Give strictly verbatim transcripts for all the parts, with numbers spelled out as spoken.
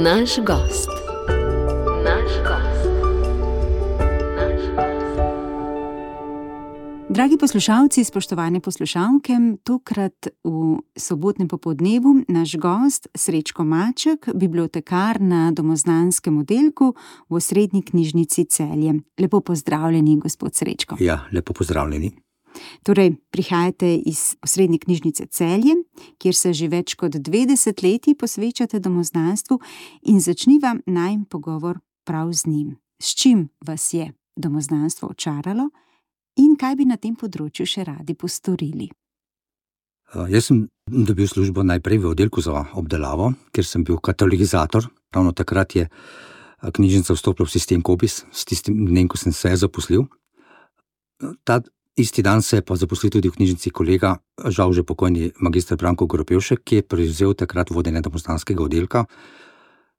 Naš gost. Naš gost. Naš gost. Dragi poslušalci, spoštovane poslušalke, tokrat v sobotnem popoldnevu naš gost Srečko Maček, bibliotekar na domoznanskem oddelku v Osrednji knjižnici Celje. Lepo pozdravljeni, gospod Srečko. Ja, lepo pozdravljeni. Torej, prihajate iz Osrednje knjižnice Celje, kjer se že več kot dve desetletji posvečate domoznanstvu, in začniva najin pogovor prav z njim. S čim vas je domoznanstvo očaralo in kaj bi na tem področju še radi postorili? Jaz sem dobil službo najprej v oddelku za obdelavo, ker sem bil katalogizator. Ravno takrat je knjižnica vstopila v sistem Cobiss, s tistim dnem, ko sem se zaposlil. Ta isti dan se je pa zaposlil tudi v knjižnici kolega, žal že pokojni magister Branko Goropevšek, ki je prevzel takrat vodenje domoznanskega oddelka.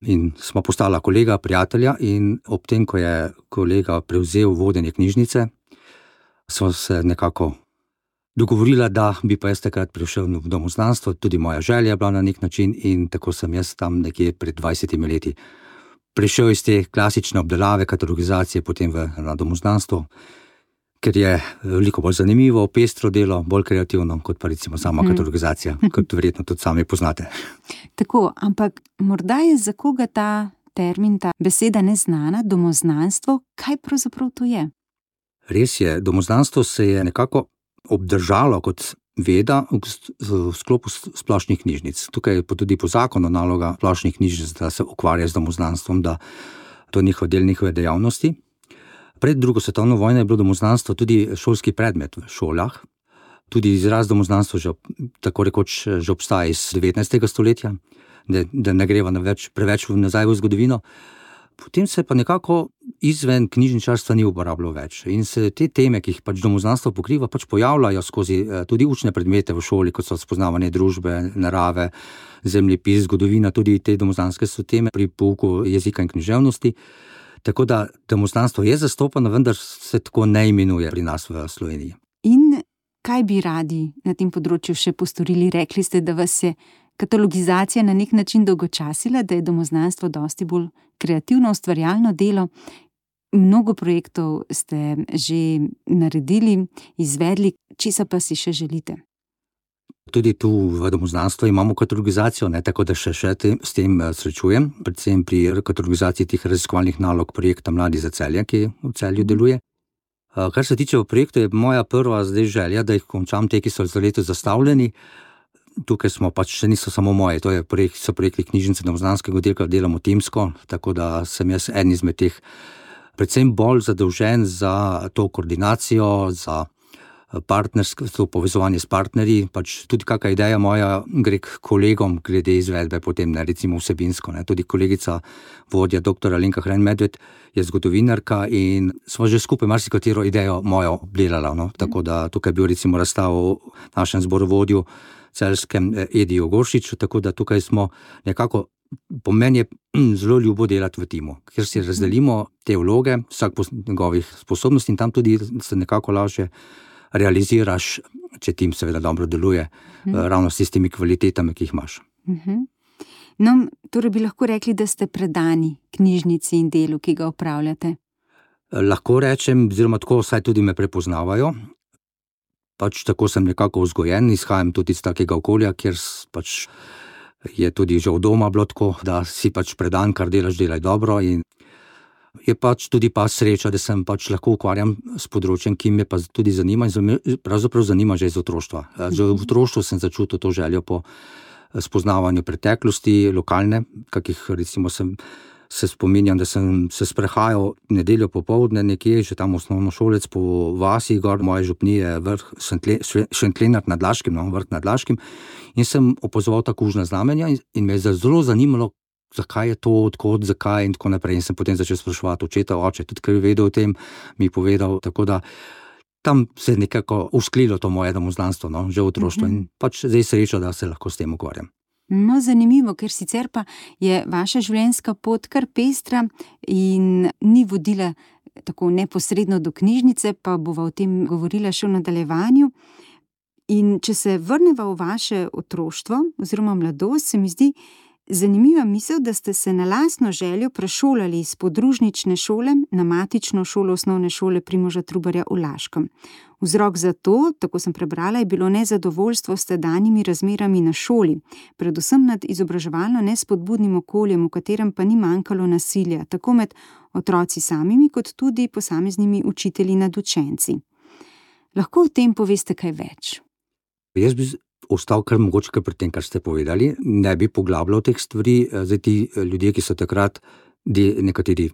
In smo postala kolega, prijatelja, in ob tem, ko je kolega prevzel vodenje knjižnice, smo se nekako dogovorila, da bi pa jaz takrat prišel v domoznanstvo, tudi moja želja je bila na nek način, in tako sem jaz tam nekje pred dvajsetimi leti prišel iz te klasične obdelave, katalogizacije, potem v, na domoznanstvo, ker je veliko bolj zanimivo, pestro delo, bolj kreativno, kot pa recimo sama hmm. katalogizacija, kot verjetno tudi sami poznate. Tako, ampak morda je za koga ta termin, ta beseda neznana, domoznanstvo, kaj pravzaprav to je? Res je, domoznanstvo se je nekako obdržalo kot veda v sklopu splošnih knjižnic. Tukaj je tudi po zakonu naloga splošnih knjižnic, da se ukvarja z domoznanstvom, da to je njihov del njihove dejavnosti. Pred drugo svetovno vojno je bilo domoznanstvo tudi šolski predmet v šolah. Tudi izraz domoznanstvo že, tako rekoč, že obstaja iz devetnajstega stoletja, da, da ne greva na več, preveč nazaj v zgodovino. Potem se pa nekako izven knjižničarstva ni uporabljalo več. In se te teme, ki jih pač domoznanstvo pokriva, pač pojavljajo skozi tudi učne predmete v šoli, kot so spoznavanje družbe, narave, zemljepis, zgodovina, tudi te domoznanske so teme pri pouku jezika in književnosti. Tako da domoznanstvo je zastopano, vendar se tako ne imenuje pri nas v Sloveniji. In kaj bi radi na tem področju še postorili? Rekli ste, da vas je katalogizacija na nek način dolgočasila, da je domoznanstvo dosti bolj kreativno, ustvarjalno delo. Mnogo projektov ste že naredili, izvedli, česa pa si še želite? Tudi tu v domoznanstvu imamo katalogizacijo, ne, tako da še, še te, s tem srečujem, predvsem pri katalogizaciji teh raziskovalnih nalog projekta Mladi za Celje, ki v Celju deluje. Kar se tiče v projektu, je moja prva zdaj želja, da jih končam te, ki so za leto zastavljeni. Tukaj smo pač, še niso samo moje, to je projekt, so projekti knjižnice domoznanskega oddelka, delamo timsko, tako da sem jaz en izmed teh predvsem bolj zadolžen za to koordinacijo, za partnerstvo, to povezovanje s partnerji, pač tudi kakšna ideja moja gre k kolegom glede izvedbe, potem ne, recimo vsebinsko, ne. Tudi kolegica vodja doktor Alenka Hren-Medved je zgodovinarka in smo že skupaj marsikatero idejo mojo obdelala, no. Tako da tukaj je bil recimo razstav v našem zborovodju celjskem Ediju Goršiču, tako da tukaj smo nekako, po meni je zelo ljubo delati v timu, ker si razdelimo te vloge, vsak po njegovih sposobnosti, in tam tudi se nekako lažje realiziraš, če tim seveda dobro deluje, hmm. ravno s tistimi kvalitetami, ki jih imaš. Uh-huh. No, torej bi lahko rekli, da ste predani knjižnici in delu, ki ga opravljate? Lahko rečem, oziroma tako vsaj tudi me prepoznavajo. Pač tako sem nekako vzgojen, izhajam tudi iz takega okolja, kjer pač je tudi že od doma bilo tako, da si pač predan, kar delaš, delaj dobro, in je pač tudi pa sreča, da sem pač lahko ukvarjam s področjem, ki me pa tudi zanima in pravzaprav zanima že iz otroštva. Že v otroštvu sem začutil to željo po spoznavanju preteklosti, lokalne, kakih recimo sem se spominjam, da sem se sprehajal nedeljo popoldne nekje, že tam osnovnošolec po vasi, gor moje župnije, vrh Šentlenart nad Laškim, no, vrh nad Laškim, in sem opazoval ta kužna znamenja in, in me je zelo zanimalo, zakaj je to, odkot, zakaj in tako naprej. In sem potem začel spraševati očeta, oče, tudi ker je vedel o tem, mi povedal, tako da tam se je nekako usklilo to moje domoznanstvo, no, že v otroštvu, in pač zdaj sreča, da se lahko s tem ukvarjam. No, zanimivo, ker sicer pa je vaša življenjska pot kar pestra in ni vodila tako neposredno do knjižnice, pa bova o tem govorila še v nadaljevanju. In če se vrneva v vaše otroštvo oziroma mladost, se mi zdi, Zanimiva misel, da ste se na lastno željo prešolali iz podružnične šole na matično šolo osnovne šole Primoža Trubarja v Laškem. Vzrok za to, tako sem prebrala, je bilo nezadovoljstvo s tedanjimi razmerami na šoli, predvsem nad izobraževalno nespodbudnim okoljem, v katerem pa ni manjkalo nasilja, tako med otroci samimi, kot tudi posameznimi učitelji nad učenci. Lahko o tem poveste kaj več? Jaz bi ostal kar mogoče kar pri tem, kar ste povedali, ne bi poglabljal teh stvari. Zdaj ti ljudje, ki so takrat, nekateri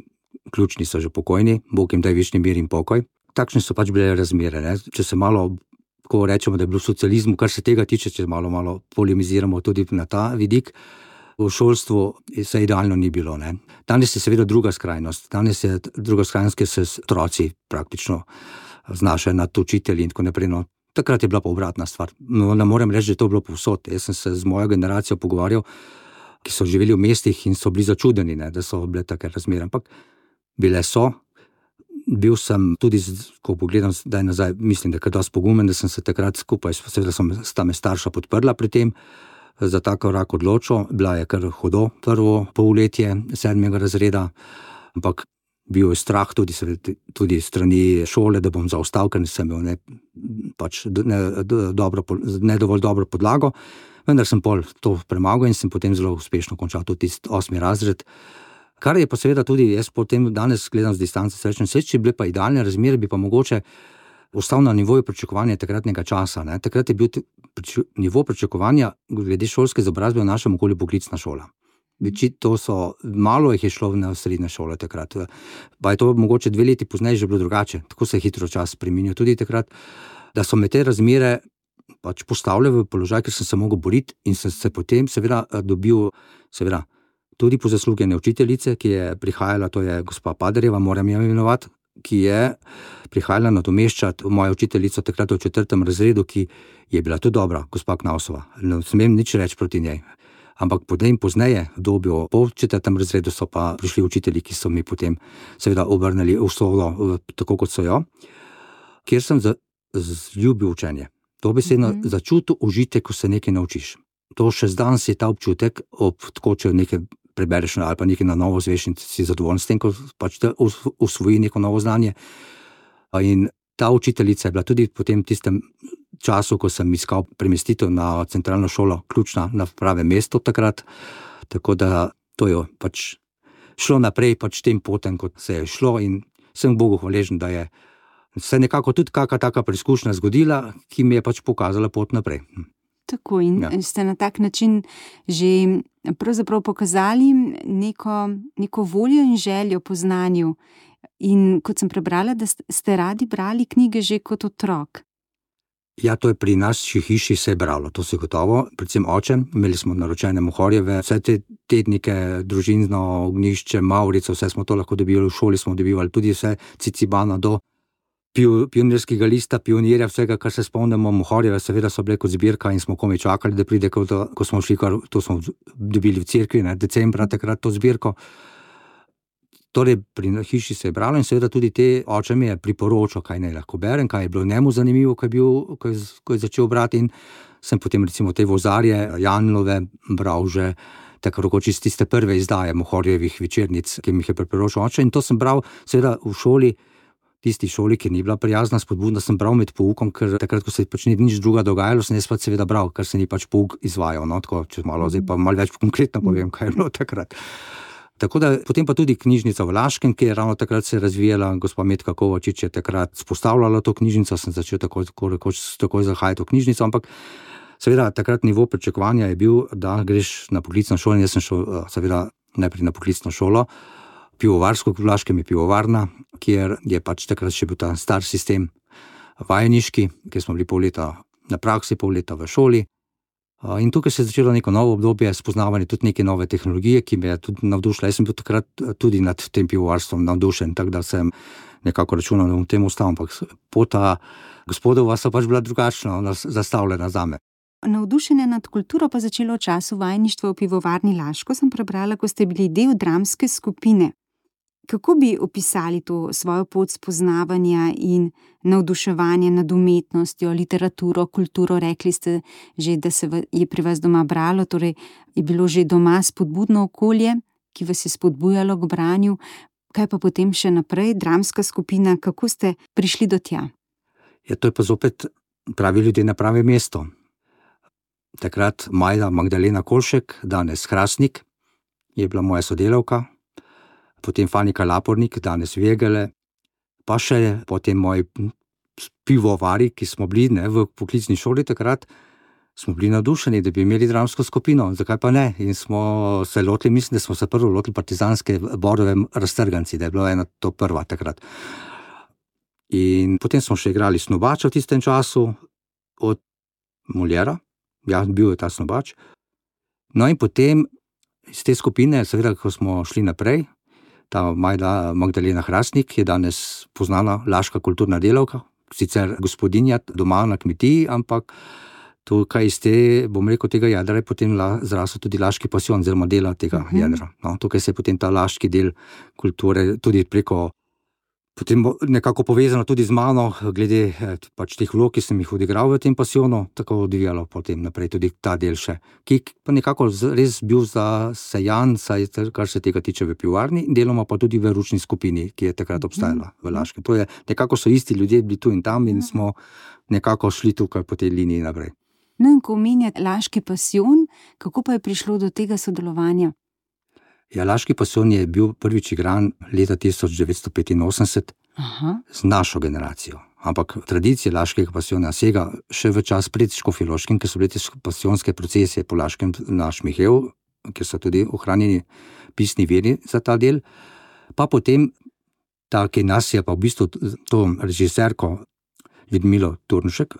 ključni so že pokojni, Bog jim daj vični mir in pokoj. Takšne so pač bile razmere. Ne? Če se malo, ko rečemo, da je bilo v socializmu, kar se tega tiče, če malo, malo polemiziramo tudi na ta vidik, v šolstvu se idealno ni bilo. Ne? Danes je seveda druga skrajnost. Danes je druga skrajnost, ker se otroci praktično znašajo nad učitelji in tako naprej. No, takrat je bila pa obratna stvar. No, ne morem reči, da je to bilo povsod. Jaz sem se z mojo generacijo pogovarjal, ki so živeli v mestih in so bili začudeni, ne, da so bile take razmere. Ampak bile so. Bil sem tudi, ko pogledam zdaj nazaj, mislim, da je kar dosti pogumen, da sem se takrat skupaj, seveda sta me starša podprla pri tem, za ta korak odločil. Bila je kar hudo prvo polletje sedmega razreda, ampak bil je strah tudi, tudi strani šole, da bom zaostal, ker sem imel ne, pač ne, dobro, ne dovolj dobro podlago, vendar sem pol to premagal in sem potem zelo uspešno končal tudi tisti osmi razred. Kar je pa seveda tudi, jaz potem danes gledam z distance, srečen, vse, če bile pa idealne razmere, bi pa mogoče ostal na nivoju pričakovanja takratnega časa. Ne. Takrat je bil priču, nivo pričakovanja glede šolske izobrazbe v našem okolju poklicna šola. Veči, to so, malo jih je šlo na srednje šole takrat. Pa je to mogoče dve leti pozneje že bilo drugače. Tako se je hitro čas spreminjal tudi takrat, da so me te razmere pač postavljali v položaj, ker sem se mogel boriti in sem se potem seveda dobil, seveda, tudi po zasluge ene učiteljice, ki je prihajala, to je gospa Paderjeva, moram jo imenovati, ki je prihajala nadomeščati mojo učiteljico takrat v četrtem razredu, ki je bila tudi dobra, gospa Knausova. Ne smem nič reči proti njej. Ampak potem pozneje, v dobju po četrtem razredu, so pa prišli učitelji, ki so mi potem seveda obrnili usodo, tako kot so jo, kjer sem zljubil učenje. To besedno mm-hmm. začutil užitek, ko se nekaj naučiš. To še zdanes je ta občutek, ob tako, če nekaj prebereš ali pa nekaj na novo zveš in si zadovoljen s tem, ko pač te usvoji neko novo znanje. In ta učiteljica je bila tudi po tem tistem času, ko sem iskal premestitev na centralno šolo, ključna na pravem mestu takrat, tako da to je pač šlo naprej pač tem potem, kot se je šlo in sem Bogu hvaležen, da je se nekako tudi kakšna taka preizkušnja zgodila, ki mi je pač pokazala pot naprej. Tako in ja. Ste na tak način že pravzaprav pokazali neko, neko voljo in željo po znanju. In kot sem prebrala, da ste radi brali knjige že kot otrok. Ja, to je pri nas v hiši se je bralo, to se gotovo, predvsem oče, imeli smo naročene Mohorjeve, vse te tednike, družinsko ognjišče, Mavrico, vse smo to lahko dobivali, v šoli smo dobivali tudi vse, Cicibana do pionirskega lista, pionirja, vsega, kar se spomnimo, Mohorjeve seveda so bile kot zbirka in smo komaj čakali, da pride, ko, to, ko smo šli, kar, to smo dobili v cerkvi, ne, decembra takrat to zbirko. Torej, pri hiši se je bralo in seveda tudi te oče mi je priporočal, kaj naj lahko berem, kaj je bilo njemu zanimivo, ko je, bil, ko je, ko je začel brati in sem potem recimo te Vozarje, Janlove bral že tako rekoč iz tiste prve izdaje Mohorjevih večernic, ki mi jih je priporočal oče, in to sem bral seveda v šoli, tisti šoli, ki ni bila prijazna, spodbudna, sem bral med poukom, ker takrat, ko se pač ni nič druga dogajalo, sem jaz pač seveda bral, ker se ni pač pouk izvajal, no, tako, če malo, zdaj pa malo več konkretno povem, kaj je bilo takrat. Tako da potem pa tudi knjižnica v Laškem, ki je ravno takrat se razvijala, gospa Metka Kovačič je takrat spostavljala to knjižnico, sem začel tako, tako rekoč takoj zahajati v knjižnico, ampak seveda takrat nivo pričakovanja je bil, da greš na poklicno šolo, in jaz sem šel seveda najprej na poklicno šolo, pivovarsko, v Laškem je pivovarna, kjer je pač takrat še bil ta star sistem vajeniški, kjer smo bili pol leta na praksi, pol leta v šoli. In tukaj se je začelo neko novo obdobje, spoznavanje tudi neke nove tehnologije, ki me je tudi navdušila. Jaz sem bil takrat tudi nad tem pivovarstvom navdušen, tako da sem nekako računal, da bom temu ostal, ampak pota gospodova so pač bila drugačno zastavljena zame. Navdušenje nad kulturo pa začelo v času vajeništva v pivovarni Laško, sem prebrala, ko ste bili del dramske skupine. Kako bi opisali to svojo pot spoznavanja in navduševanja nad umetnostjo, literaturo, kulturo? Rekli ste že, da se je pri vas doma bralo, torej je bilo že doma spodbudno okolje, ki vas je spodbujalo k branju. Kaj pa potem še naprej, dramska skupina, kako ste prišli do tja? Ja, to je pa zopet pravi ljudje na pravem mestu. Takrat Majda Magdalena Kolšek, danes Hrastnik, je bila moja sodelavka, potem Fanika Lapornik, danes Vegele, pa še potem moji pivovari, ki smo bili ne, v poklicni šoli takrat, smo bili navdušeni, da bi imeli dramsko skupino, zakaj pa ne? In smo se lotili, mislim, da smo se prvo lotili partizanske Borove Raztrganci, da je bila ena to prva takrat. In potem smo še igrali Snobača v tistem času od Moljera, ja, bil je ta Snobač. No in potem iz te skupine, seveda, ko smo šli naprej, ta Majda Magdalena Hrastnik je danes poznana laška kulturna delavka, sicer gospodinja doma na kmetiji, ampak tukaj iz te, bom rekel, tega jadra je potem zrasel tudi laški pasijon, oziroma dela tega uh-huh. jadra. No, tukaj se je potem ta laški del kulture tudi preko, potem nekako povezano tudi z mano, glede pač teh vlog, ki sem jih odigral v tem pasijonu, tako odvijalo potem naprej tudi ta del še, ki pa nekako res bil zasejan, saj kar se tega tiče v pivovarni, deloma pa tudi v ručni skupini, ki je takrat obstajala v Laškem. To je, nekako so isti ljudje bili tu in tam in smo nekako šli tukaj po tej liniji naprej. No in ko omenjate laški pasijon, kako pa je prišlo do tega sodelovanja? Ja, laški pasijon je bil prvič igran leta tisoč devetsto petinosemdeset Aha. z našo generacijo. Ampak tradicija laškega pasijona sega še v čas pred Škofjeloškim, ker so bile te pasijonske procesije po Laškem na Šmiheju, ker so tudi ohranjeni pisni viri za ta del. Pa potem, ta, ki nas je pa v bistvu to režiserko Ljudmilo Turnšek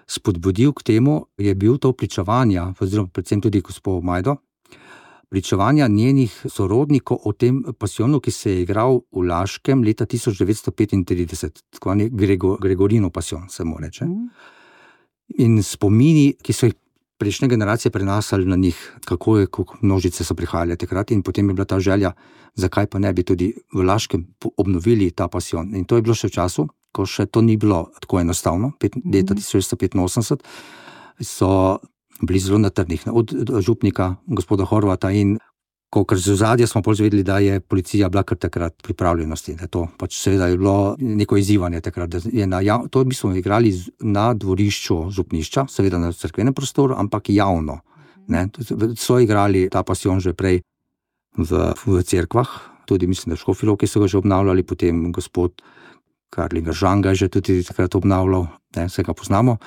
spodbudil k temu, je bil to pričevanja, oziroma predvsem tudi gospod Majdo, pričevanja njenih sorodnikov o tem pasijonu, ki se je igral v Laškem leta tisoč devetsto petintrideset, tako je Grego, Gregorino pasijon, se mu reče. In spomini, ki so jih prejšnje generacije prenašali na njih, kako je, kako množice so prihajale takrat, in potem je bila ta želja, zakaj pa ne bi tudi v Laškem obnovili ta pasijon. In to je bilo še v času, ko še to ni bilo tako enostavno, pet, leta tisoč devetsto petinosemdeset so bili zelo na trdnih, od župnika gospoda Horvata, in ko kar z ozadja smo bolj zvedeli, da je policija bila kar takrat pripravljenosti, da to pač seveda je bilo neko izzivanje takrat, da je na jav... to bi smo igrali na dvorišču župnišča, seveda na cerkvenem prostoru, ampak javno, ne, so igrali ta pasijon že prej v, v cerkvah, tudi mislim, da v Škofji Loki so ga že obnavljali, potem gospod Karlinger Žanga je že tudi takrat obnavljal, ne, vse ga poznamo.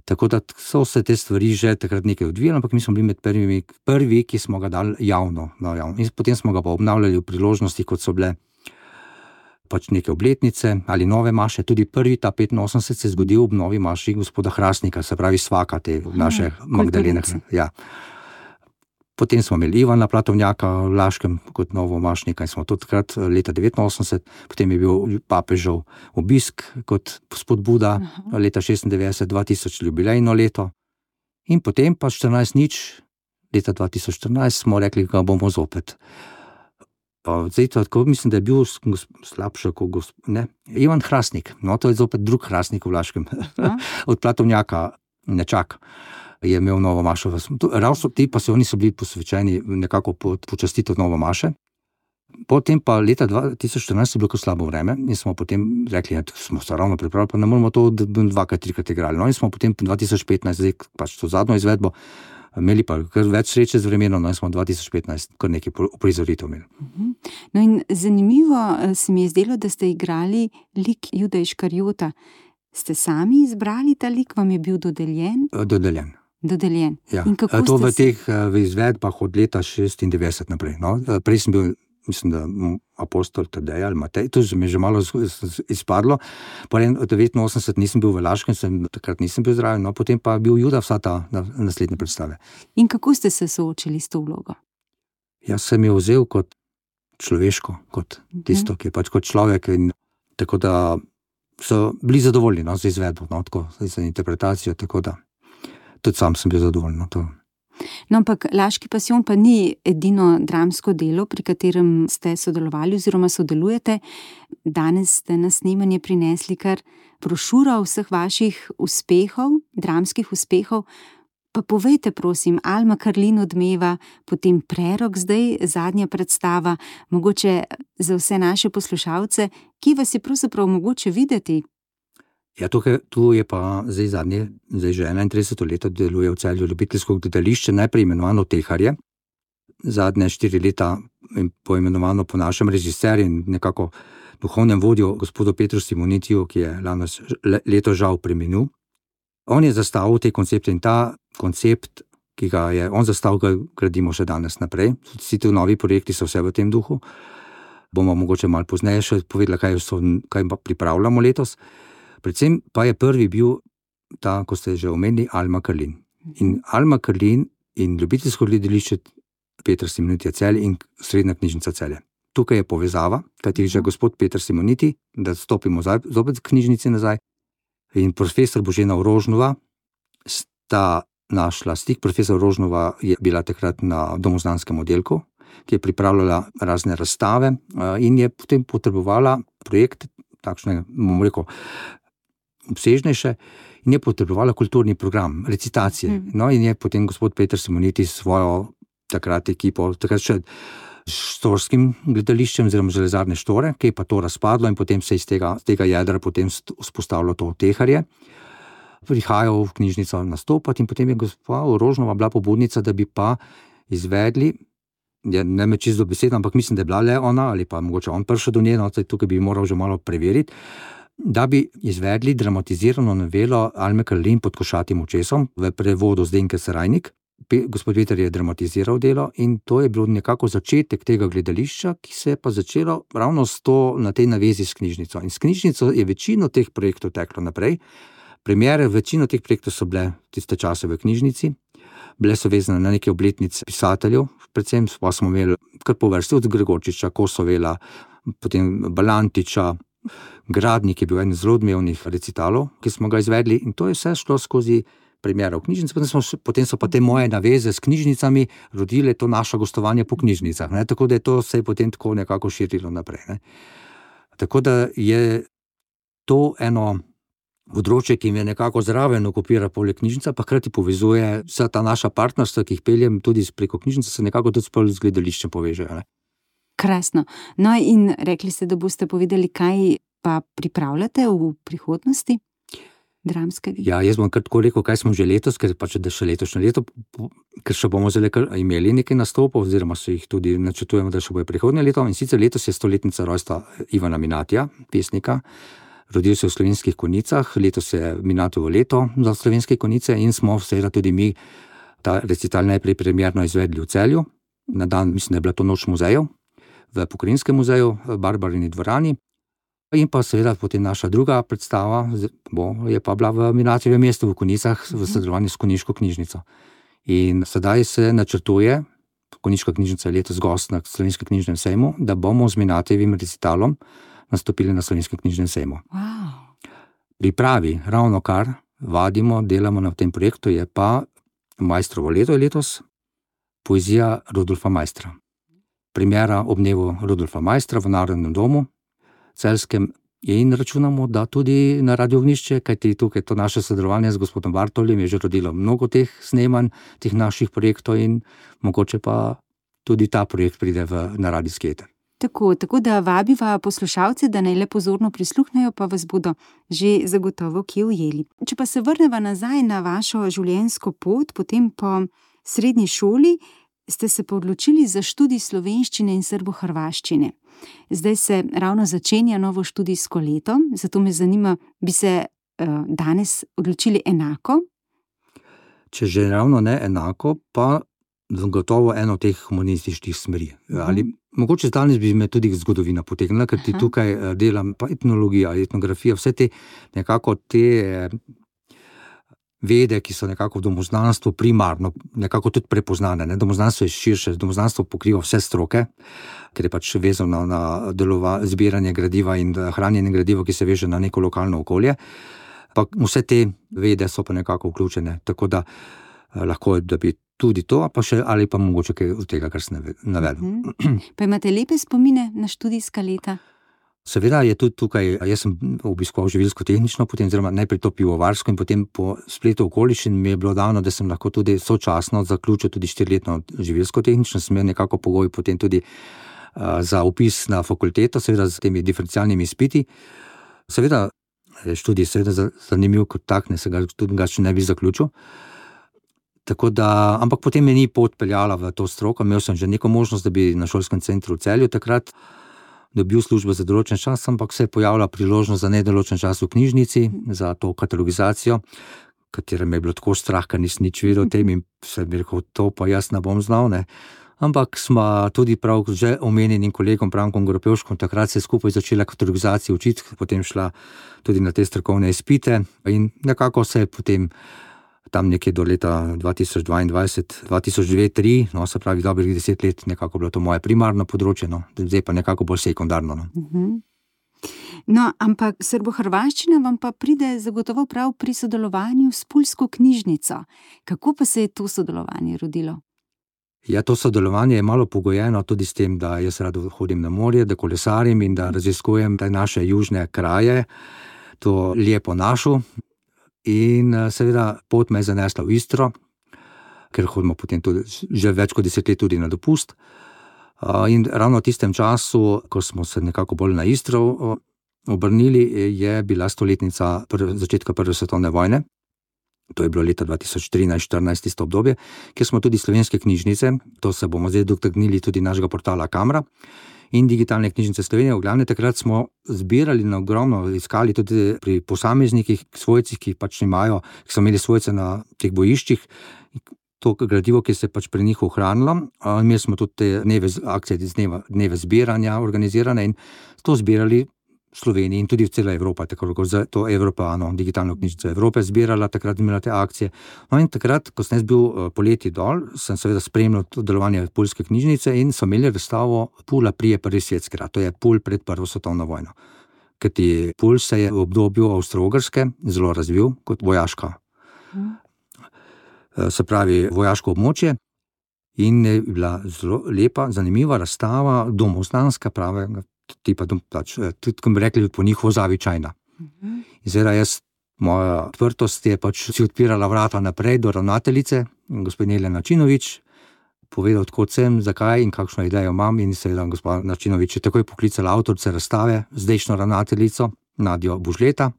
Tako da so se te stvari že takrat nekaj odvijali, ampak mi smo bili med prvimi, prvi, ki smo ga dali javno, no, javno. In potem smo ga pa obnavljali v priložnosti, kot so bile pač neke obletnice ali nove maše. Tudi prvi, ta petinosemdeset, se je zgodil ob novi maši gospoda Hrastnika, se pravi svaka te naše Magdalene. Ja. Potem smo imeli Ivana Platovnjaka v Laškem kot novo mašnika in smo tudi takrat leta devetinosemdeset, potem je bil papežev obisk kot spodbuda Aha. leta šestindevetdeset, dva tisoč jubilejno leto, in potem pa štirinajst nič, leta dva tisoč štirinajst smo rekli, da bomo zopet. Pa zdaj tako mislim, da je bil slabše kot gosp... ne, Ivan Hrastnik, no to je zopet drug Hrastnik v Laškem, od Platovnjaka Nečak je imel novo mašo. Ravno ti pasijoni so bili posvečeni nekako počastiti novo maše. Potem pa leta dva tisoč štirinajst je bilo slabo vreme in smo potem rekli, da smo se ravno pripravili, pa ne moramo to dvakrat, trikrat igrali. No in smo potem dva tisoč petnajst, zdaj pač to zadnjo izvedbo, imeli pa kar več sreče z vremenom, no in smo dva tisoč petnajst kar nekaj prizoritev imeli. No in zanimivo se mi je zdelo, da ste igrali lik Juda Iškariota. Ste sami izbrali ta lik, vam je bil dodeljen? Dodeljen. Dodeljen. Ja. To v teh v izvedbah od leta šestindevetdeset naprej. No. Prej sem bil, mislim, da apostol Tadej ali Matej, to se mi je že malo izpadlo. Potem od devetinosemdeset nisem bil v Laškem, sem, takrat nisem bil zraven, no, potem pa bil Juda vsa ta naslednje predstave. In kako ste se soočili s to vlogo? Jaz sem jo vzel kot človeško, kot tisto, ki je pač kot človek, in tako da so bili zadovoljni, no, z izvedbo, no, tako, za interpretacijo, tako da tudi sam sem bil zadovoljen. No, to. No, ampak Laški pasijon pa ni edino dramsko delo, pri katerem ste sodelovali oziroma sodelujete. Danes ste na snemanje prinesli kar brošuro vseh vaših uspehov, dramskih uspehov. Pa povejte, prosim, Alma Karlin odmeva, potem Prerok, zdaj zadnja predstava, mogoče za vse naše poslušalce, ki vas je pravzaprav mogoče videti? Ja, tukaj, tu je pa zdaj zadnje, zdaj že enaintrideseto leto deluje v Celju ljubiteljsko gledališče, najprej imenovano Teharje, zadnje štiri leta poimenovano po našem režiserju in nekako duhovnem vodju, gospodu Petru Simonitiju, ki je lano leto žal preminil. On je zastavil te koncepte in ta koncept, ki ga je on zastavil, ga gradimo še danes naprej. Vsi ti novi projekti so vse v tem duhu. Bomo mogoče malo pozneje še povedali, kaj, so, kaj pripravljamo letos. Predvsem pa je prvi bil ta, ko ste že omenili, Alma Karlin. In Alma Karlin in ljubiteljsko gledališče Petra Simonitija Celje in Srednja knjižnica Celje. Tukaj je povezava, kajti že gospod Peter Simoniti, da stopimo zopet v knjižnici nazaj, in profesor Božena Rožnova sta našla stik. Profesor Rožnova je bila takrat na domoznanskem oddelku, ki je pripravljala razne razstave in je potem potrebovala projekt, takšne, bomo rekel, obsežnejše, in je potrebovala kulturni program, recitacije. Mm. No, in je potem gospod Peter Simoniti svojo takrat ekipo, takrat še štorskim gledališčem oziroma železarne Štore, ki je pa to razpadlo in potem se iz tega, tega jedra potem vzpostavilo to Teharje. Prihajal v knjižnico nastopati in potem je gospa Rožnova bila pobudnica, da bi pa izvedli, ja, ne me čisto besedo, ampak mislim, da je bila le ona ali pa mogoče on prišel do nje, no, tukaj bi moral že malo preveriti, da bi izvedli dramatizirano novelo Alme Karlin Pod košatim očesom v prevodu Zdenke Serajnik. Gospod Peter je dramatiziral delo in to je bilo nekako začetek tega gledališča, ki se je pa začelo ravno s to, na tej navezi s knjižnico. In s knjižnico je večino teh projektov teklo naprej. Premiere, večino teh projektov so bile tiste čase v knjižnici, bile so vezane na neke obletnice pisateljev, predvsem pa smo imeli kar po vrsti od Gregorčiča, Kosovela, potem Balantiča, Gradnik je bil en zelo odmevnih recitalov, ki smo ga izvedli, in to je vse šlo skozi premiera v knjižnici. Potem, smo, potem so pa te moje naveze s knjižnicami rodile to naše gostovanje po knjižnicah, ne? Tako da je to se je potem tako nekako širilo naprej. Ne? Tako da je to eno področje, ki mi je nekako zraven okupira poleg knjižnica, pa hkrati povezuje vsa ta naša partnerstva, ki jih peljem tudi preko knjižnice, se nekako tudi z gledališčem povežejo. Ne? Krasno. No in rekli ste, da boste povedali, kaj pa pripravljate v prihodnosti dramskega? Ja, jaz bom kar tako rekel, kaj smo že letos, ker pač da še letošnje leto, ker še bomo zelo imeli nekaj nastopov, oziroma se jih tudi načrtujemo, da še bo prihodnje leto. In sicer letos je stoletnica rojstva Ivana Minatija, pesnika. Rodil se v Slovenskih Konjicah, letos je Minatijevo leto za Slovenske Konjice in smo seveda tudi mi ta recital najprej premierno izvedli v Celju. Na dan, mislim, da je bila to noč muzejev v Pokrajinskem muzeju, v Barbarini dvorani. In pa seveda potem naša druga predstava bo, je pa bila v Minatijevem mestu v Konjicah v sodelovanju s Konjiško knjižnico. In sedaj se načrtuje, Konjiška knjižnica je letos gost na Slovenskem knjižnem sejmu, da bomo z Minatijevim recitalom nastopili na Slovenskem knjižnem sejmu. Wow. Pripravi, ravno kar vadimo, delamo na tem projektu, je pa Majstrovo leto je letos, poezija Rudolfa Maistra. Premiera ob dnevu Rudolfa Maistra v Narodnem domu Celjskem in računamo, da tudi na Radio Ognjišče, kajti tukaj to naše sodelovanje z gospodom Bartoljem je že rodilo mnogo teh snemanj, teh naših projektov in mogoče pa tudi ta projekt pride v, na radijski eter. Tako, tako da vabiva poslušalce, da naj le pozorno prisluhnejo, pa vas bodo že zagotovo kje ujeli. Če pa se vrneva nazaj na vašo življenjsko pot, potem po srednji šoli ste se pa odločili za študij slovenščine in srbohrvaščine. Zdaj se ravno začenja novo študijsko leto, zato me zanima, bi se uh, danes odločili enako? Če že ravno ne enako, pa gotovo eno teh humanističnih smeri. Uh-huh. Ali mogoče danes bi me tudi zgodovina potegnila, ker ti uh-huh. tukaj delam pa etnologija, etnografija, vse te nekako te vede, ki so nekako v domoznanstvu primarno, nekako tudi prepoznane. Ne? Domoznanstvo je širše, domoznanstvo pokriva vse stroke, ker je pač vezano na delova, zbiranje gradiva in hranjenje gradiva, ki se veže na neko lokalno okolje. Pa vse te vede so pa nekako vključene, tako da eh, lahko, da bi tudi to, pa še ali pa mogoče kaj od tega, kar sem navedel. Mhm. Pa imate lepe spomine na študijska leta? Seveda je tudi tukaj, jaz sem obiskoval živilsko-tehnično, potem oziroma najprej to pivovarsko in potem po spletu okoliščin mi je bilo dano, da sem lahko tudi sočasno zaključil tudi štiriletno živilsko-tehnično, sem imel nekako pogoj potem tudi uh, za vpis na fakulteto, seveda z temi diferencialnimi izpiti. Seveda je študij seveda zanimiv kot tak, ne se ga tudi ga še ne bi zaključil. Tako da, ampak potem me ni pot peljala v to stroko, imel sem že neko možnost, da bi na šolskem centru v Celju takrat dobil službo za določen čas, ampak se je pojavila priložnost za nedoločen čas v knjižnici, za to katalogizacijo, katera me je bilo tako strah, ker nisem nič videl o tem in sem rekel, to pa jaz ne bom znal, ne. Ampak smo tudi prav že omenjenim kolegom Brankom Gropevškom takrat se skupaj začela katalogizacijo učiti, potem šla tudi na te strokovne izpite in nekako se je potem tam nekje do leta dva tisoč dvaindvajset, dva tisoč dve, tri, no, se pravi dobrih deset let, nekako bilo to moje primarno področje, no, zdaj pa nekako bolj sekundarno, no. Mhm. No, ampak srbohrvaščina vam pa pride zagotovo prav pri sodelovanju s Pulsko knjižnico. Kako pa se je to sodelovanje rodilo? Ja, to sodelovanje je malo pogojeno tudi s tem, da jaz rad hodim na morje, da kolesarim in da raziskujem te naše južne kraje, to lepo našo. In seveda pot me je zanesla v Istro, ker hodimo potem tudi že več kot deset let tudi na dopust. In ravno v tistem času, ko smo se nekako bolj na Istro obrnili, je bila stoletnica prve, začetka prve svetovne vojne. To je bilo leta dva tisoč trinajst štirinajst tisto obdobje, kjer smo tudi slovenske knjižnice, to se bomo zdaj dotaknili tudi našega portala Kamra, in digitalne knjižnice Slovenije. V glavnem takrat smo zbirali na ogromno, iskali tudi pri posameznikih, svojcih, ki pač imajo, ki so imeli svojce na teh bojiščih, to gradivo, ki se je pač pri njih ohranilo. Imeli smo tudi te dneve, akcije, dneve, dneve zbiranja organizirane in to zbirali v Sloveniji in tudi v cela Evropa, tako kot za to Evropa, no, digitalno knjižnico Evrope zbirala, takrat imela te akcije. No in takrat, ko sem jaz bil poleti dol, sem seveda spremljal to delovanje Pulske knjižnice in so imeli razstavo Pula prije prvi svjetski rat, to je Pul pred prvo svetovno vojno. Kajti Pul se je v obdobju Avstro-Ogrske zelo razvil kot vojaška, hmm. se pravi vojaško območje in je bila zelo lepa, zanimiva razstava, domoznanska pravega tipa, pač, tudi, ko bi rekli, po njih zavičajna. Uh-huh. Zdaj, jaz, moja odprtost je pač si odpirala vrata naprej do ravnateljice, gospod Nelja Načinovič, povedal, odkot sem, zakaj in kakšno idejo imam in seveda gospod Načinovič je takoj poklicala avtorice razstave, zdajšnjo ravnateljico Nadjo Bužleta.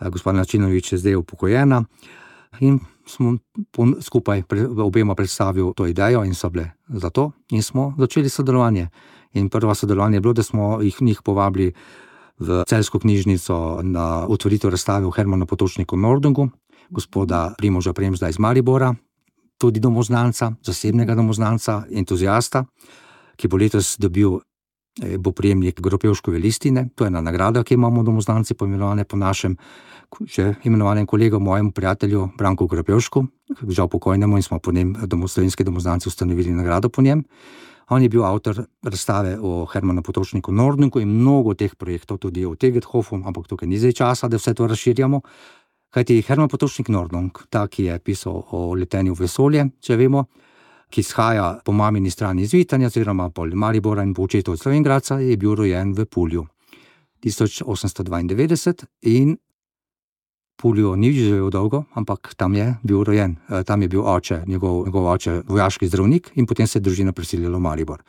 Gospod Načinovič je zdaj upokojena in smo skupaj obema predstavil to idejo in so bile za to in smo začeli sodelovanje. In prva sodelovanje je bilo, da smo jih njih povabili v Celjsko knjižnico na otvoritev razstave v Hermanu Potočniku Nordungu, gospoda Primoža Premzda iz Maribora, tudi domoznanca, zasebnega domoznanca, entuzijasta, ki bo letos dobil, bo prejemnik Gropevškove listine, to je ena nagrada, ki imamo domoznanci poimenovane po našem že imenovanem kolegu, mojemu prijatelju Branku Gropevšku, žal pokojnemu in smo po njem slovenski domoznanci ustanovili nagrado po njem. On je bil avtor razstave o Hermanu Potočniku Nordungu in mnogo teh projektov, tudi o Tegethofu, ampak tukaj ni zdaj časa, da vse to razširjamo. Kajti Herman Potočnik Nordung, ta, ki je pisal o letenju v vesolje, če vemo, ki izhaja po mamini strani iz Vitanja, oziroma po Maribora in po očetu od Slovenj Gradca, je bil rojen v Pulju tisoč osemsto dvaindevetdeset in Pulju ni živel dolgo, ampak tam je bil rojen, tam je bil oče, njegov, njegov oče, vojaški zdravnik in potem se je družina preselila v Maribor.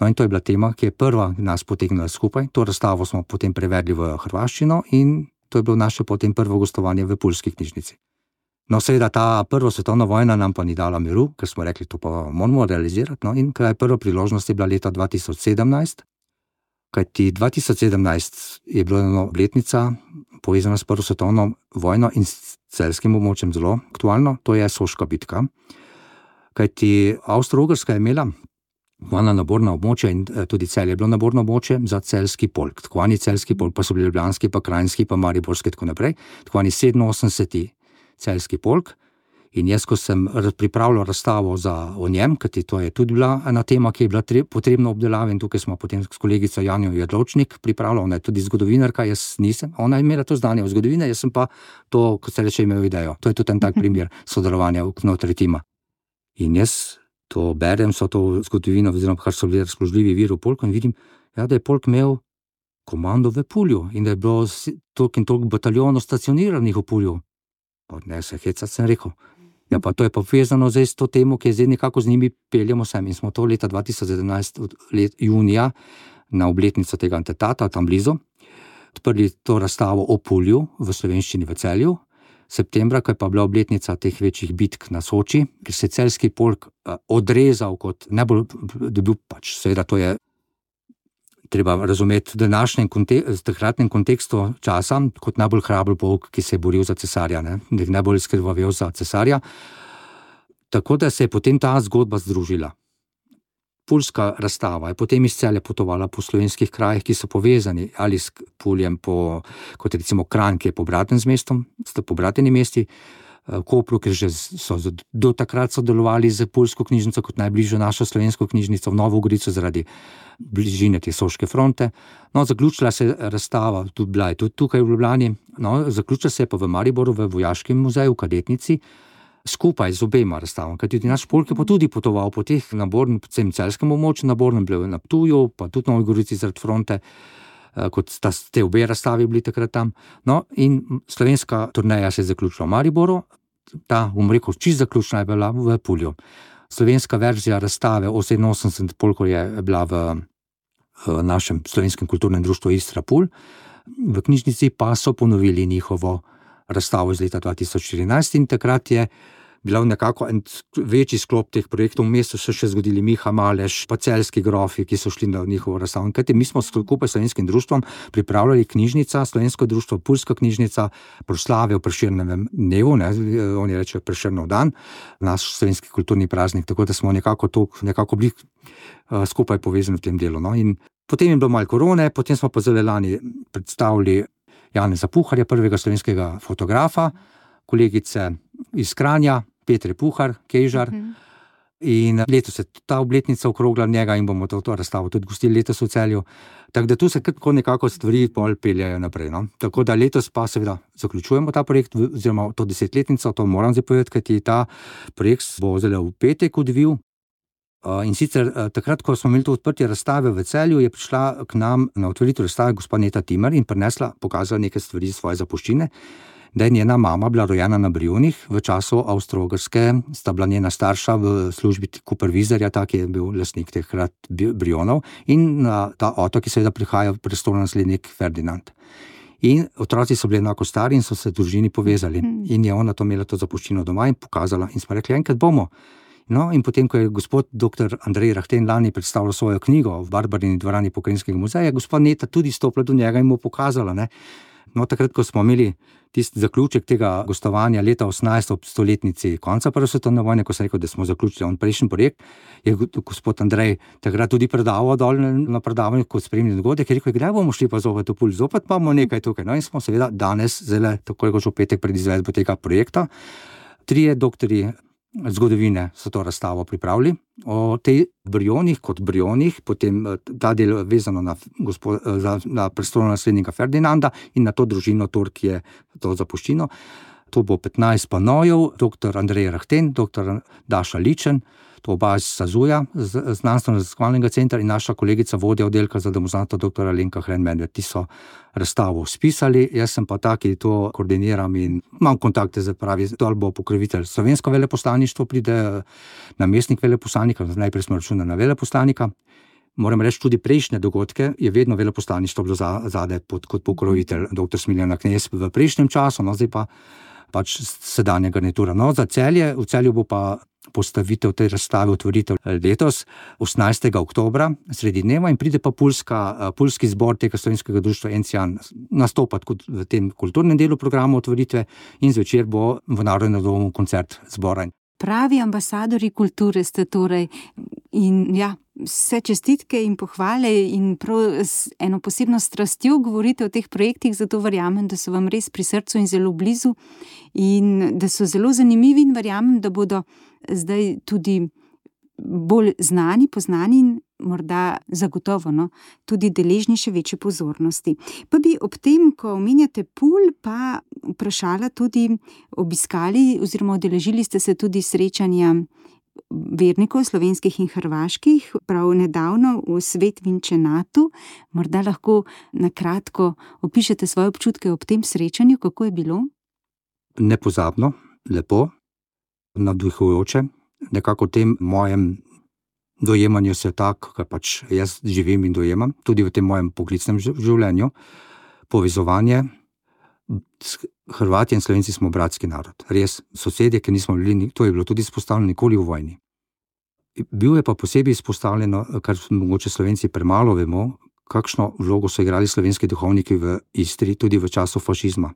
No in to je bila tema, ki je prva nas potegnila skupaj, to razstavo smo potem prevedli v hrvaščino in to je bilo naše potem prvo gostovanje v Pulski knjižnici. No seveda ta prva svetovna vojna nam pa ni dala miru, ker smo rekli, to pa moramo realizirati, no in kraj prva priložnost je bila leta dva tisoč sedemnajst, kajti dva tisoč sedemnajst je bila ena obletnica povezana s prvo svetovno vojno in s celjskim območjem zelo aktualno, to je Soška bitka. Kajti Avstro-Ogrska je imela vojna naborna območja in tudi Celje je bilo naborno območje za celjski polk. Tako ani celjski polk, pa so bili ljubljanski, pa krajinski, pa mariborski, tako naprej. Tako ani sedeminosemdeseti celjski polk. In jaz, ko sem pripravljal razstavo za, o njem, kajti to je tudi bila ena tema, ki je bila tre, potrebna obdelave in tukaj smo potem s kolegico Janjo Jedlovčnik pripravljali, ona je tudi zgodovinarka, jaz nisem, ona je imela to znanje o zgodovine, jaz sem pa to, kot se reče, imel idejo. To je tudi en tak primer sodelovanja vnotri tima. In jaz to berem, so to zgodovino, oziroma kar so bili razpoložljivi viri v polku, in vidim, ja, da je polk imel komando v Pulju in da je bilo toliko in toliko bataljonov stacioniranih v Pulju. Pa ne se hecati, sem rekel. Ja, pa to je pa povezano zdaj s to temo, ki je zdaj nekako z njimi peljemo sem. In smo to leta dva tisoč sedemnajst, let, junija, na obletnico tega atentata, tam blizu, odprli to razstavo o Pulju v slovenščini v Celju. Septembra, ko je pa bila obletnica teh večjih bitk na Soči, ker se je celjski polk odrezal kot najbolj dobil, pač seveda to je treba razumeti v današnjem kontekstu, takratnem kontekstu časa, kot najbolj hraber polk, ki se je boril za cesarja, ne? Najbolj izkrvavel za cesarja. Tako da se je potem ta zgodba združila. Puljska razstava je potem iz Celja potovala po slovenskih krajih, ki so povezani ali s Puljem, po, kot recimo Kranj, ki je pobraten z mestom, sta pobrateni mesti, Kopru, ker že so do takrat sodelovali z Puljsko knjižnico kot najbližjo našo slovensko knjižnico, v Novo Gorico zaradi bližine te Soške fronte. No, zaključila se je razstava, tudi bila je tudi tukaj v Ljubljani, no, zaključila se je pa v Mariboru v Vojaškem muzeju, v Kadetnici, skupaj z obema razstavama, kajti tudi naš polk je pa tudi potoval po teh nabornem, predvsem celjskem območju, nabornem bil na Ptuju, pa tudi Novi Gorici zaradi fronte, kot sta te obe razstavi bili takrat tam. No, in slovenska turneja se je zaključila v Mariboru, ta, bom rekel, čisto zaključna je bila v Pulju. Slovenska verzija razstave oseminosemdeset polkov je bila v, v našem slovenskem kulturnem društvu Istra Pulj, v knjižnici pa so ponovili njihovo razstavo iz leta dva tisoč štirinajst in takrat je bila nekako en večji sklop teh projektov. Vmes so se še zgodili Miha Maleš, pa celjski grofi, ki so šli na njihovo razstavo. Kajti mi smo skupaj s slovenskim društvom pripravljali knjižnica, slovensko društvo, Puljska knjižnica, proslave v Prešernovem dnevu, ne, oni rečejo Prešernov dan, naš slovenski kulturni praznik, tako da smo nekako to, nekako bili uh, skupaj povezani v tem delu. No. In potem je bilo malo korone, potem smo pa zelo lani predstavili Janeza Puharja, prvega slovenskega fotografa, kolegice iz Kranja, Petre Puhar, Kejžar, uh-huh. In letos je ta obletnica okrogla njega in bomo to, to razstavo tudi gostili letos v Celju. Tako da tu se kako nekako stvari pol peljajo naprej. No? Tako da letos pa seveda zaključujemo ta projekt, oziroma to desetletnico, to moram zdaj povedati, kajti ta projekt bo zelo v petek odvil. In sicer takrat, ko smo imeli to odprtje razstave v Celju, je prišla k nam na otvoritev razstave gospa Neta Timer in prinesla, pokazala nekaj stvari iz svoje zapuščine, da je njena mama bila rojena na Brionih v času Avstro-Ogrske, sta bila njena starša v službi Kupervizarja, tak je bil lastnik tehkrat Brionov, in na ta otok je seveda prihajal prestolonaslednik Ferdinand. In otroci so bili enako stari in so se družini povezali. In je ona to imela to zapuščino doma in pokazala. In smo rekli, enkrat bomo. No, in potem, ko je gospod doktor Andrej Rahten lani predstavljal svojo knjigo v Barbarini dvorani Pokrajinskega muzeja, je gospod Neta tudi stopila do njega in mu pokazala, ne. No, takrat, ko smo imeli tisti zaključek tega gostovanja leta osemnajst ob stoletnici konca prve svetovne vojne, ko sem rekel, da smo zaključili on prejšnji projekt, je gospod Andrej takrat tudi predaval dol na predavanju kot spremni dogodek, je rekel, kdaj bomo šli pa zopet v Pulj, zopet pa bomo nekaj tukaj. No, in smo seveda danes, zelo tako kot že v petek pred izvedbo tega projekta, trije doktorji zgodovine so to razstavo pripravili o tej Brionih kot Brionih, potem ta del vezano na, gospod, na prestolonaslednika Ferdinanda in na to družino Tor, ki je to zapuščino. To bo petnajst panojev, doktor Andrej Rahten, doktor Daša Ličen, to oba iz Sazuja, znanstveno-raziskovalnega centra, in naša kolegica vodja oddelka za domoznanstvo doktor Alenka Hren-Medved. Ti so razstavo spisali, jaz sem pa tak, ki to koordiniram in imam kontakte z, pravi, dol bo pokrovitelj slovensko veleposlaništvo, pride namestnik veleposlanika, najprej smo računali na veleposlanika. Moram reči, tudi prejšnje dogodke je vedno veleposlaništvo bilo zadaj pod, kot pokrovitelj doktor Smiljana Knez v prejšnjem času, no zdaj pa pač sedanja garnitura. No, za Celje, v Celju bo pa postavitev te razstave, otvoritev letos, osemnajstega oktobra, sredi dneva, in pride pa Puljska, Puljski zbor tega slovenskega društva Encijan nastopati kot v tem kulturnem delu programa otvoritve, in zvečer bo v Narodnem domu koncert zbora. Pravi ambasadori kulture ste torej, in ja, vse čestitke in pohvale in prav z eno posebno strastjo govorite o teh projektih, zato verjamem, da so vam res pri srcu in zelo blizu in da so zelo zanimivi, in verjamem, da bodo zdaj tudi bolj znani, poznani in morda zagotovo, no, tudi deležni še večje pozornosti. Pa bi ob tem, ko omenjate Pulj, pa vprašala tudi, obiskali oziroma udeležili ste se tudi srečanja vernikov, slovenskih in hrvaških, prav nedavno v Svetvinčenatu. Morda lahko na kratko opišete svoje občutke ob tem srečanju, kako je bilo? Nepozabno, lepo, navdihujoče. Nekako v tem mojem dojemanju sveta, kar pač jaz živim in dojemam, tudi v tem mojem poklicnem življenju, povezovanje. Hrvati in Slovenci smo bratski narod. Res, sosedje, ki nismo bili, to je bilo tudi izpostavljeno, nikoli v vojni. Bil je pa posebej izpostavljeno, kar mogoče Slovenci premalo vemo, kakšno vlogo so igrali slovenski duhovniki v Istri, tudi v času fašizma.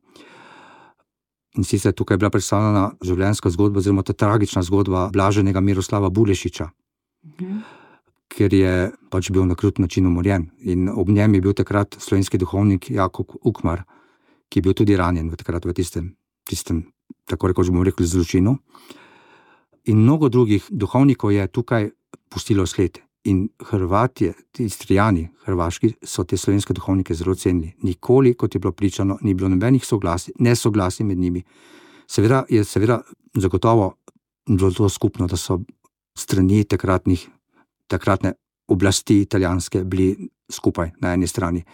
In sicer tukaj je bila predstavljena življenjska zgodba, oziroma ta tragična zgodba blaženega Miroslava Bulešiča, mhm. ker je pač bil na krut način umorjen. In ob njem je bil takrat slovenski duhovnik Jakob Ukmar, ki je bil tudi ranjen v takrat v tistem, tistem, tako rekoč bomo rekli, zločinu. In mnogo drugih duhovnikov je tukaj pustilo sled. In Hrvatje, ti Istrijani, hrvaški, so te slovenske duhovnike zelo cenili. Nikoli, kot je bilo pričano, ni bilo nobenih soglasij, nesoglasij med njimi. Seveda je seveda zagotovo bilo to skupno, da so strani takratnih, takratne oblasti italijanske bili skupaj na eni strani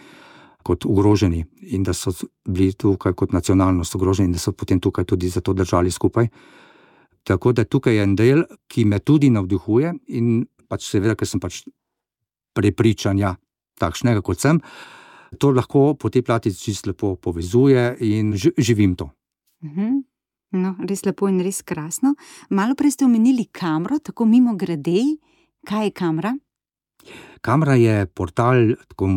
kot ogroženi in da so bili tukaj kot nacionalnost ogroženi in da so potem tukaj tudi zato držali skupaj. Tako da tukaj je en del, ki me tudi navdihuje in pač seveda, ker sem pač prepričanja takšnega, kot sem, to lahko po tej plati čisto lepo povezuje in živim to. Mhm. No, res lepo in res krasno. Malo prej ste omenili Kamro, tako mimo grede. Kaj je Kamra? Kamra je portal, tako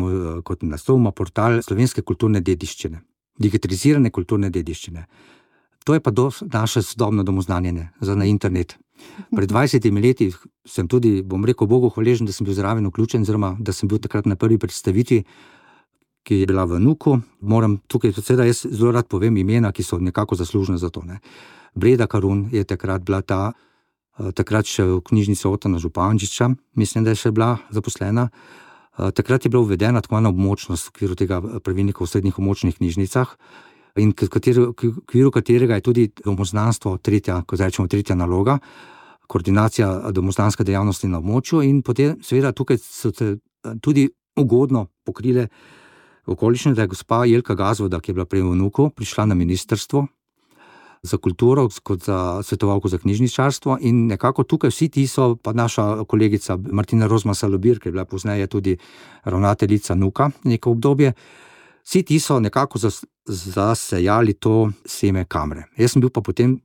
kot naslov ima, portal slovenske kulturne dediščine, digitalizirane kulturne dediščine. To je pa do, naše sodobno domoznanjenje za na internet. Pred dvajsetimi leti sem tudi, bom rekel, Bogu hvaležen, da sem bil zraven vključen, oziroma da sem bil takrat na prvi predstavitvi, ki je bila v Nuku. Moram tukaj, seveda jaz zelo rad povem imena, ki so nekako zaslužne za to. Ne. Breda Karun je takrat bila ta, takrat še v knjižnici Otona Župančiča, mislim, da je še bila zaposlena. Takrat je bila uvedena tako na območnost v okviru tega pravilnika v srednjih območnih knjižnicah, in v okviru katerega je tudi domoznanstvo tretja, ko rečemo tretja naloga, koordinacija domoznanske dejavnosti na območju, in potem seveda tukaj so se tudi ugodno pokrile okoliščine, da je gospa Jelka Gazvoda, ki je bila prej v Nuku, prišla na ministrstvo za kulturo kot za svetovalko za knjižničarstvo, in nekako tukaj vsi ti so, pa naša kolegica Martina Rozman Salobir, ki je bila pozneje tudi ravnateljica Nuka neko obdobje, vsi ti so nekako zas, zasejali to seme Kamre. Jaz sem bil pa potem,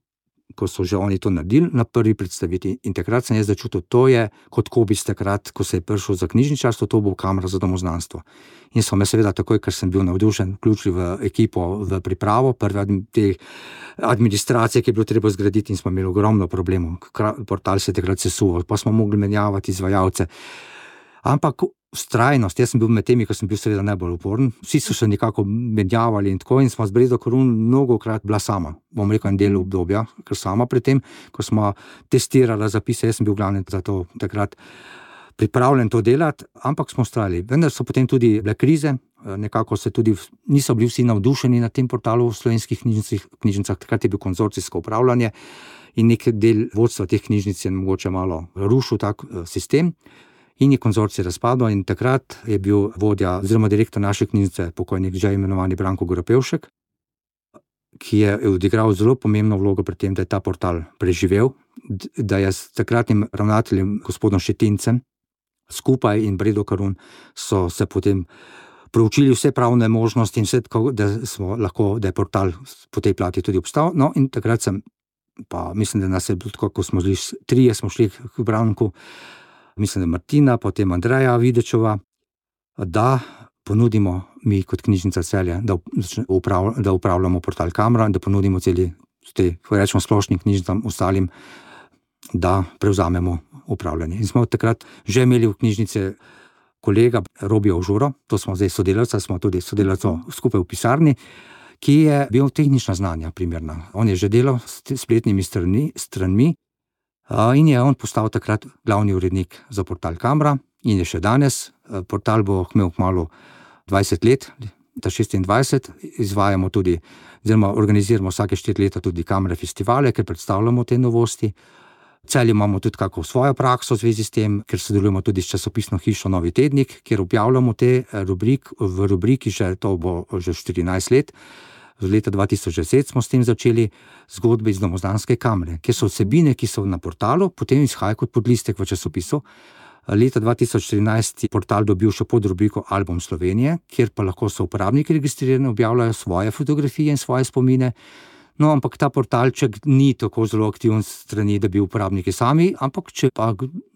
ko so že oni to naredili, na prvi predstaviti, in takrat sem jaz začutil, to je kot Kobis takrat, ko se je prišel za knjižničarstvo, to bo Kamra za domoznanstvo. In so me seveda takoj, ker sem bil navdušen, vključili v ekipo, v pripravo prve te administracije, ki je bilo treba zgraditi, in smo imeli ogromno problemov. Portal se je takrat sesuval, pa smo mogli menjavati izvajalce. Ampak vztrajnost, jaz sem bil med temi, ko sem bil seveda najbolj uporen, vsi so se nekako menjavali in tako, in smo z Bredo Karun mnogokrat bila sama, bom rekel, en del obdobja, ker sama pred tem, ko smo testirali zapise, jaz sem bil glavni za to takrat pripravljen to delati, ampak smo vztrajali. Vendar so potem tudi bile krize, nekako se tudi niso bili vsi navdušeni na tem portalu v slovenskih knjižnicah, takrat je bil konzorcijsko upravljanje in nek del vodstva teh knjižnic je mogoče malo rušil tak sistem. In je konzorcij razpadel, in takrat je bil vodja oziroma direktor naše knjižnice, pokojnik že imenovani Branko Goropevšek, ki je odigral zelo pomembno vlogo pri tem, da je ta portal preživel, da je s takratnim ravnateljem gospodom Šetincem skupaj in Bredo Karun so se potem proučili vse pravne možnosti in vse, da smo lahko, da je portal po tej plati tudi obstal. No, in takrat sem, pa mislim, da nas je bilo tako, ko smo šli, trije smo šli k Branku, mislim, da Martina, potem Andreja Videčova, da ponudimo mi kot knjižnica Celje, da, upravl, da upravljamo portal Kamra in da ponudimo celi, te, ko rečemo splošnim knjižnicam, ostalim, da prevzamemo upravljanje. In smo takrat že imeli v knjižnici kolega Robija Užuro, to smo zdaj sodelavca, smo tudi sodelavco skupaj v pisarni, ki je bil tehnična znanja primerna. On je že delal s spletnimi strani, stranmi, in je on postal takrat glavni urednik za portal Kamra in je še danes. Portal bo imel kmalu dvajset let, ta šestindvajset, izvajamo tudi, oziroma organiziramo vsake štiri leta tudi Kamre festivale, ker predstavljamo te novosti. V Celju imamo tudi kako svojo prakso v zvezi s tem, ker sodelujemo tudi s časopisno hišo Novi tednik, kjer objavljamo te rubrik, v rubriki že to bo že štirinajst let. V leta dva tisoč deset smo s tem začeli zgodbe iz domozdanske kamere, kjer so vsebine, ki so na portalu, potem izhajajo kot podlistek v časopisu. Leta dva tisoč trinajst je portal dobil še podrubriko Album Slovenije, kjer pa lahko so uporabniki registrirani, objavljajo svoje fotografije in svoje spomine. No, ampak ta portalček ni tako zelo aktiven strani, da bi uporabniki sami, ampak če pa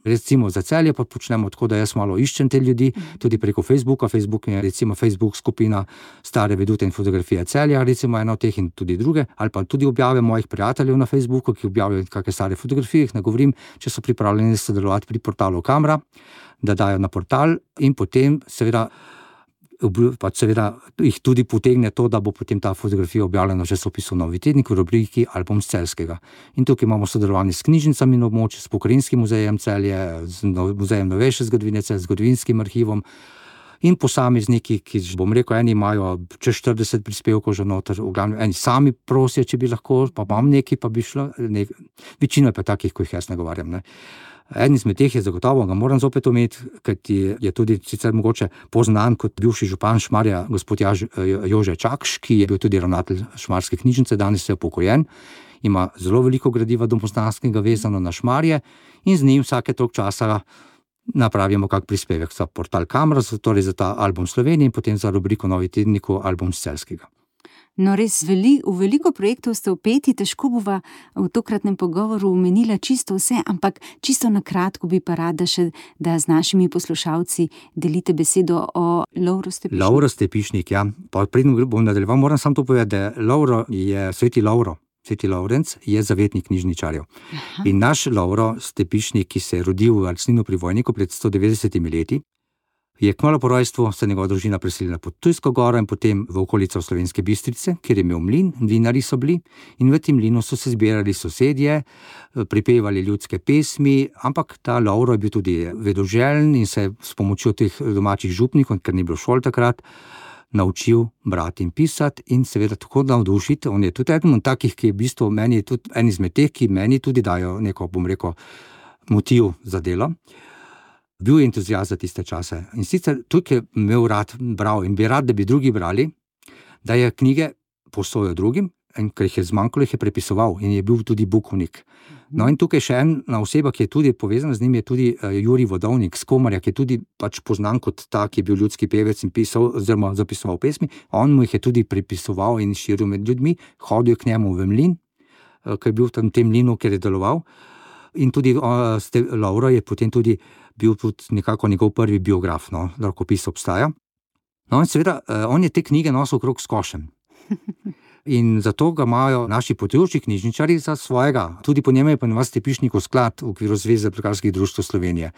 recimo za Celje pa počnemo tako, da jaz malo iščem te ljudi, tudi preko Facebooka. Facebook je recimo Facebook skupina Stare vedute in fotografije Celja, recimo eno od teh in tudi druge, ali pa tudi objave mojih prijateljev na Facebooku, ki objavljajo kakšne stare fotografije, jih nagovorim, če so pripravljeni sodelovati pri portalu Kamera, da dajo na portal in potem seveda pa seveda jih tudi potegne to, da bo potem ta fotografija objavljena v časopisu Novi tednik v rubriki Album s Celjskega. In tukaj imamo sodelovanje s knjižnicami na območju, s Pokrajinskim muzejem Celje, z muzejem novejše zgodovine Celje, z zgodovinskim arhivom in posamezniki, ki, bom rekel, eni imajo čez štirideset prispevkov že noter, v glavnem eni sami prosijo, če bi lahko, pa imam nekaj, pa bi šlo, nek... večina pa takih, ko jih jaz nagovarjam, ne. En izmed teh je zagotovo, ga moram zopet omeniti, kajti je tudi sicer mogoče poznan kot bivši župan Šmarja, gospod Jaž, Jože Čakš, ki je bil tudi ravnatelj Šmarske knjižnice, danes je upokojen, ima zelo veliko gradiva domozdanskega vezano na Šmarje in z njim vsake toliko časa napravimo kak prispevek za portal Kamera, torej za ta Album Slovenije in potem za rubriko Novi tedniku Album s Celjskega. No, res veli, v veliko projektov ste vpeti, težko bova v tokratnem pogovoru omenila čisto vse, ampak čisto na kratko bi pa rada še, da z našimi poslušalci delite besedo o Lovro Stepišnik. Lovro Stepišnik, ja. Pa predno bom nadaljeval, moram samo to povedati, da Lovro je sveti Lovro, sveti Lovrenc je zavetnik knjižničarjev. Aha. In naš Lovro Stepišnik, ki se je rodil v Alcninu pri Vojniku pred sto devetdesetimi leti, je kmalu po rojstvu se njegova družina preselila pod Ptujsko goro in potem v okolico Slovenske Bistrice, kjer je imel mlin, mlinarji so bili in v tem mlinu so se zbirali sosedje, pripevali ljudske pesmi, ampak ta Lovro je bil tudi vedoželjen in se s pomočjo teh domačih župnikov, ker ni bilo šol takrat, naučil brati in pisati in seveda tako navdušiti. On je tudi eden od takih, ki je v bistvu meni tudi en izmed teh, ki meni tudi dajo neko, bom rekel, motiv za delo. Bil je entuzijast za tiste čase. In sicer tukaj je imel rad bral in bi rad, da bi drugi brali, da je knjige posojal drugim, in ker jih je zmanjkalo, jih je prepisoval in je bil tudi bukovnik. No in tukaj še ena oseba, ki je tudi povezana z njim, je tudi Jurij Vodovnik z Komarja, ki je tudi pač poznan kot ta, ki je bil ljudski pevec in pisal, oziroma zapisoval pesmi. On mu jih je tudi prepisoval in širil med ljudmi, hodil k njemu v mlin, ker je bil v tem mlinu, kjer je deloval. In tudi Lovro je potem tudi bil tudi nekako njegov prvi biograf, no, rokopis obstaja. No in seveda, on je te knjige nosil okrog s košem. In zato ga imajo naši potujoči knjižničarji za svojega. Tudi po njemu je pa nas Stepišnikov sklad v okviru Zveze plekarskih društev Slovenije.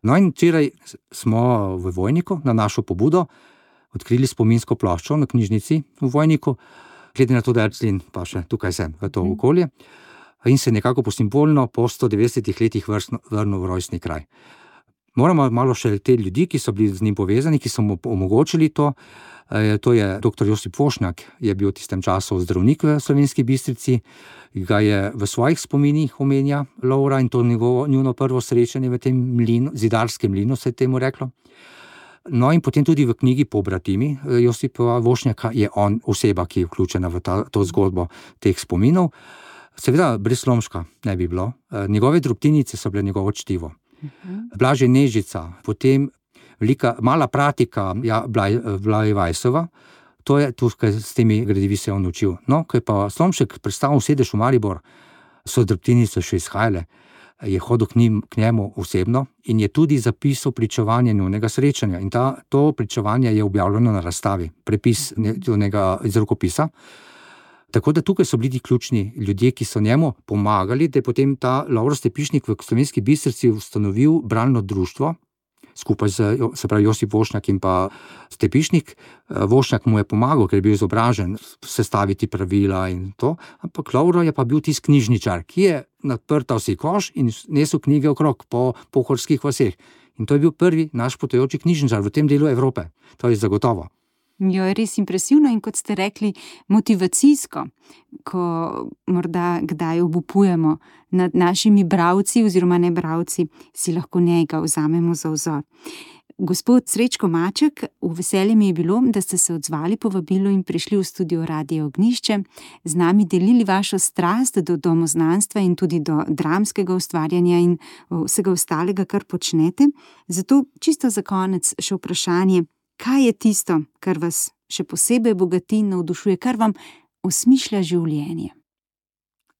No in včeraj smo v Vojniku na našo pobudo odkrili spominsko ploščo na knjižnici v Vojniku, glede na to, da je Alclin pa še tukaj sem v to okolje, in se nekako po simbolno po sto devetdesetih letih vrnil v rojstni kraj. Moramo malo še te ljudi, ki so bili z njim povezani, ki so mu omogočili to. To je doktor Josip Vošnjak, je bil v tistem času zdravnik v Slovenski Bistrici, ga je v svojih spominih omenja Lovra in to njegovo, njuno prvo srečanje v tem mlinu, zidarskem mlinu se je temu reklo. No in potem tudi v knjigi Pobratimi Josipa Vošnjaka je on oseba, ki je vključena v ta, to zgodbo teh spominov. Seveda brez Slomška ne bi bilo. Njegove drobtinice so bile njegovo čtivo. Blažej Nežica, potem velika, mala pratika ja, Blaj, Blaj Vajsova, to je tukaj s temi gradivi se on učil. No, ko je pa Slomšek predstavil sedež v Maribor, so drobtinice še izhajale, je hodil k, njim, k njemu osebno in je tudi zapisal pričevanje njunega srečanja. In ta, to pričevanje je objavljeno na razstavi, prepis njunega iz rokopisa. Tako da tukaj so bili ti ključni ljudje, ki so njemu pomagali, da je potem ta Lovro Stepišnik v Slovenski Bistrici ustanovil bralno društvo, skupaj z, se pravi, Josip Vošnjak in pa Stepišnik. Vošnjak mu je pomagal, ker je bil izobražen, sestaviti pravila in to, ampak Lovro je pa bil tisti knjižničar, ki je naprtal si koš in nesel knjige okrog po pohorskih vaseh. In to je bil prvi naš potujoči knjižničar v tem delu Evrope. To je zagotovo. Jo, je res impresivno in kot ste rekli, motivacijsko, ko morda kdaj obupujemo nad našimi bralci oziroma ne bralci, si lahko njega vzamemo za vzor. Gospod Srečko Maček, v veselje mi je bilo, da ste se odzvali povabilu in prišli v studio Radia Ognjišče, z nami delili vašo strast do domoznanstva in tudi do dramskega ustvarjanja in vsega ostalega, kar počnete. Zato čisto za konec še vprašanje, kaj je tisto, kar vas še posebej bogati in navdušuje, kar vam osmišlja življenje?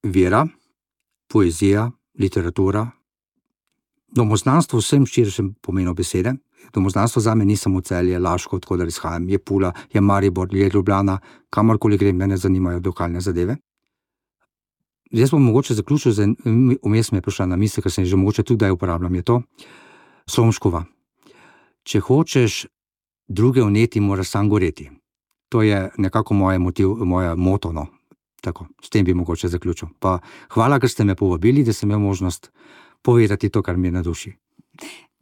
Vera, poezija, literatura, domoznanstvo v vsem širšem pomenu besede. Domoznanstvo zame ni samo Celje, Laško, od koder izhajam, je Pula, je Maribor, je Ljubljana, kamorkoli grem, mene zanimajo lokalne zadeve. Jaz bom mogoče zaključil, z vmes me je prišla na misel, ker sem že mogoče tudi kdaj uporabljam, je to Slomškova. Če hočeš druge vneti, moraš sam goreti. To je nekako moje motiv, moje moto, no. Tako, s tem bi mogoče zaključil. Pa hvala, ker ste me povabili, da sem imel možnost povedati to, kar mi je na duši.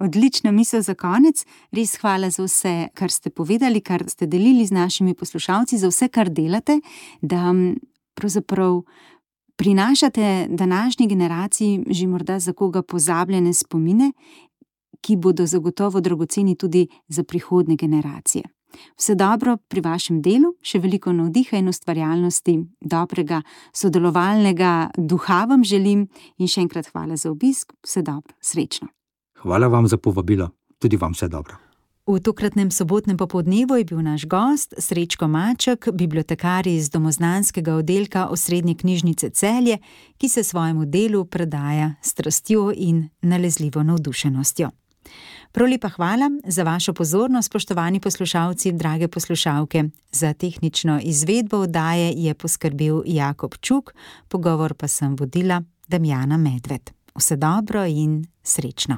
Odlična misel za konec. Res hvala za vse, kar ste povedali, kar ste delili z našimi poslušalci, za vse, kar delate, da pravzaprav prinašate današnji generaciji že morda za koga pozabljene spomine, ki bodo zagotovo dragoceni tudi za prihodnje generacije. Vse dobro pri vašem delu, še veliko navdiha in ustvarjalnosti, dobrega sodelovalnega duha vam želim in še enkrat hvala za obisk. Vse dobro, srečno. Hvala vam za povabilo, tudi vam vse dobro. V tokratnem sobotnem popoldnevu je bil naš gost Srečko Maček, bibliotekar iz domoznanskega oddelka Osrednje knjižnice Celje, ki se svojemu delu predaja s strastjo in nalezljivo navdušenostjo. Prav lepa hvala za vašo pozornost, spoštovani poslušalci, drage poslušalke. Za tehnično izvedbo oddaje je poskrbel Jakob Čuk, pogovor pa sem vodila Damjana Medved. Vse dobro in srečno.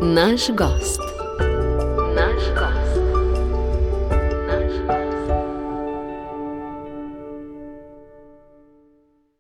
Naš gost.